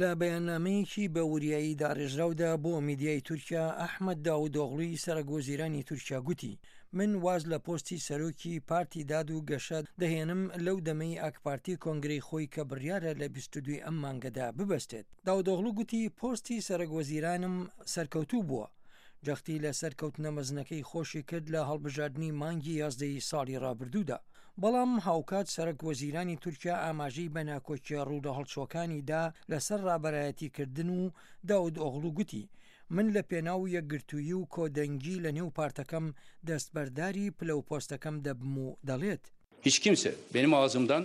لە بەیاننامەیەکی بە وریایی داڕێژراودا بۆ میدیای تورکیا، ئەحمەد داودئۆغڵوی سەرەک وەزیرانی تورکیا گوتی، من واز لە پۆستی سەرۆکی پارتی داد و گەشە دەهێنم لەو دەمەی ئاکپارتی کۆنگرەی خۆی کە بڕیارە لە 22 ئەم مانگەدا ببەستێت. داودئۆغڵو گوتی، پۆستی سەرەک وەزیرانم سەرکەوتوو بووە. جەختی لە سەرکەوتنە مەزنەکەی خۆشی کرد لە هەڵبژاردنی مانگی یازدەی ساڵی ڕابردوودا. بەڵام هاوکات سەرەک وەزیرانی تورکیا ئاماژەی بە ناکۆکیە ڕوولەهەڵچووەکانی دا لەسەر ڕابەرایەتیکردن و داود ئۆغڵو گوتی، من لە پێناو یەکگرتوویی و کۆدەنگی لە نێو پارتەکەم دەستبەرداری پلە و پۆستەکەم دەبم و دەڵێت. Hiç kimse benim ağzımdan,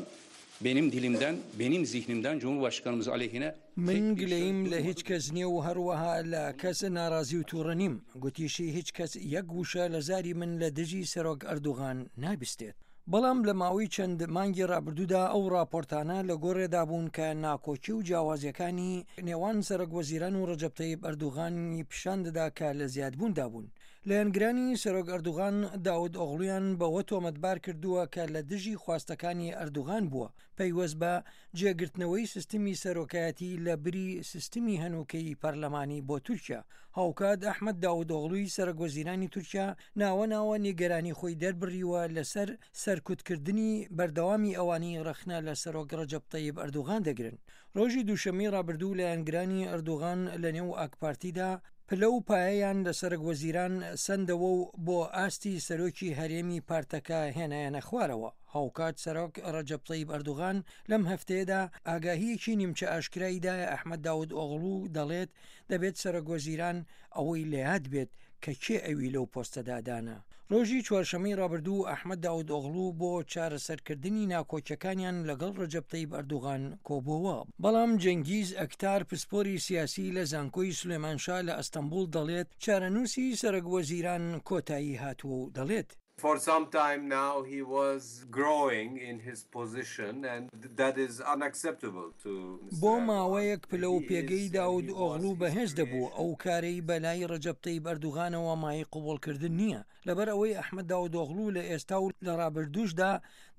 benim dilimden, benim zihnimden Cumhurbaşkanımız aleyhine من گلەییم لە هیچ کەس نییە و هەروەها لە کەس ناڕازی و تووڕە نیم. گوتیشی هیچ کەس یەک وشە لە زاری من لە دژی سەرۆک ئەردوغان نابیستێت. بەڵام لە ماوەی چەند مانگی ڕابردوودا ئەو ڕاپۆرتانە لە گۆڕێدا بوون کە ناکۆکی و جیاوازییەکانی نێوان سەرۆک وەزیران و ڕەجەب تەیب ئەردوغانی پیشان دەدا کە لە زیادبووندا بوون. لایەنگرانی سەرۆک ئەردوغان داود ئۆغڵویان بەوە تۆمەتبار کردووە کە لە دژی خواستەکانی ئەردوغان بووە پەیوەست بە جێگرتنەوەی سیستمی سەرۆکایەتی لە بری سیستمی هەنووکەیی پەرلەمانی بۆ تورکیا. هاوکات ئەحمەد داودئۆغڵوی سەرۆکوەزیرانی تورکیا ناوە ناوە نیگەرانی خۆی دەربڕیوە لەسەر سەرکوتکردنی بەردەوامی ئەوانەی ڕەخنە لە سەرۆک ڕەجەب تەیب ئەردوغان دەگرن. ڕۆژی دووشەممەی ڕابردوو لایەنگرانی ئەردوغان لەنێو ئاکپارتیدا پلە و پایەیان لە سەرک وەزیران سەندەوە و بۆ ئاستی سەرۆکی هەرێمی پارتەکە هێنایانە خوارەوە. هاوکات سەرۆک ڕەجەب تەیب ئەردوغان لەم هەفتەیەدا ئاگاهییەکی نیمچە ئاشکرای دایە ئەحمەد داود ئۆغڵو و دەڵێت دەبێت سەرۆک وەزیران ئەوەی لەیاد بێت کە کێ ئەوی لەو پۆستەدا دانا. ڕۆژی چوارشەممەی ڕابردوو ئەحمەد داود ئۆغڵو بۆ چارەسەرکردنی ناکۆکیەکانیان لەگەڵ ڕەجەب تەیب ئەردوغان کۆبۆوە. بەڵام جەنگیز ئەکتار پسپۆری سیاسی لە زانکۆی سلێمان شا لە ئەستەنبوڵ دەڵێت چارەنووسی سەرۆک وەزیران کۆتایی هاتووە و دەڵێت، For some time now he was growing in his position and that is unacceptable to Mister بۆ Erdogan. ماوەیەک پلە و He is پێگەی and داود he was ئۆغڵو his بەهێز دەبوو، creation. ئەو کارەی بە لای ڕەجەب تەیب ئەردوغانەوە مایەی قبوڵکردن نییە، لەبەر ئەوەی ئەحمەد داودئۆغڵو لە ئێستا و لە ڕابردووشدا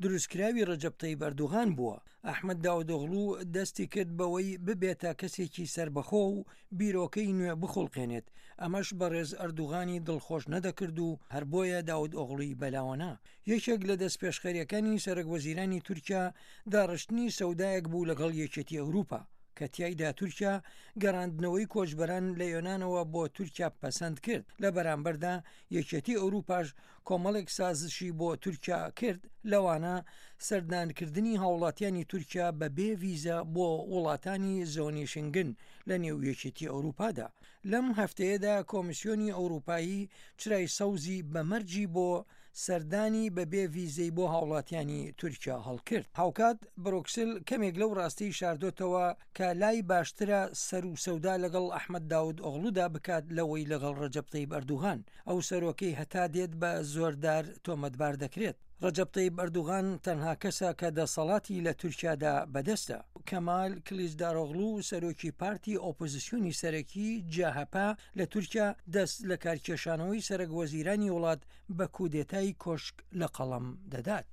دروستکراوی ڕەجەب تەیب ئەردوغان بووە. ئەحمەد داودئۆغڵو دەستی کرد بەوەی ببێتە کەسێکی سەربەخۆ و بیرۆکەی نوێ بخوڵقێنێت، ئەمەش بەڕێز ئەردوغانی دڵخۆش نەدەکرد و هەر بۆیە داودئۆغڵوی بەلاوەنا. یەکێک لە دەستپێشخەرییەکانی سەرەکوەزیرانی تورکیا داڕشتنی سەودایەک بوو لەگەڵ یەکێتی ئەوروپا، کە تیایدا تورکیا گەڕاندنەوەی کۆچبەران لە یۆنانەوە بۆ تورکیا پەسەند کرد، لە بەرامبەردا یەکێتی ئەوروپاش کۆمەڵێک سازشی بۆ تورکیا کرد، لەوانە سەردانکردنی هاوڵاتیانی تورکیا بە بێ ڤیزە بۆ وڵاتانی زۆنی شنگن لە نێو یەکێتی ئەوروپادا. لەم هەفتەیەدا کۆمیسیۆنی ئەوروپایی چرای سەوزی بە مەرجی بۆ سەردانی بە بێ ڤیزەی بۆ هاوڵاتیانی تورکیا هەڵکرد. هاوکات برۆکسل کەمێک لەو ڕاستیی شاردۆتەوە کە لای باشترە سەر و سەودا لەگەڵ ئەحمەد داود ئۆغڵودا بکات لەوەی لەگەڵ ڕەجەب تەیب ئەردوغان، ئەو سەرۆکەی هەتا دێت بە زۆردار تۆمەتبار دەکرێت. ڕەجەب تەیب ئەردوغان تەنها کەسە کە دەسەڵاتی لە تورکیادا بەدەستە. کەمال کلیچدارۆغڵو سەرۆکی پارتی ئۆپۆزسیۆنی سەرەکی، جەهەپە، لە تورکیا، دەست لەکارکێشانەوەی سەرەک وەزیرانی وڵات بە کودێتای کۆشک لە قەڵەم دەدات.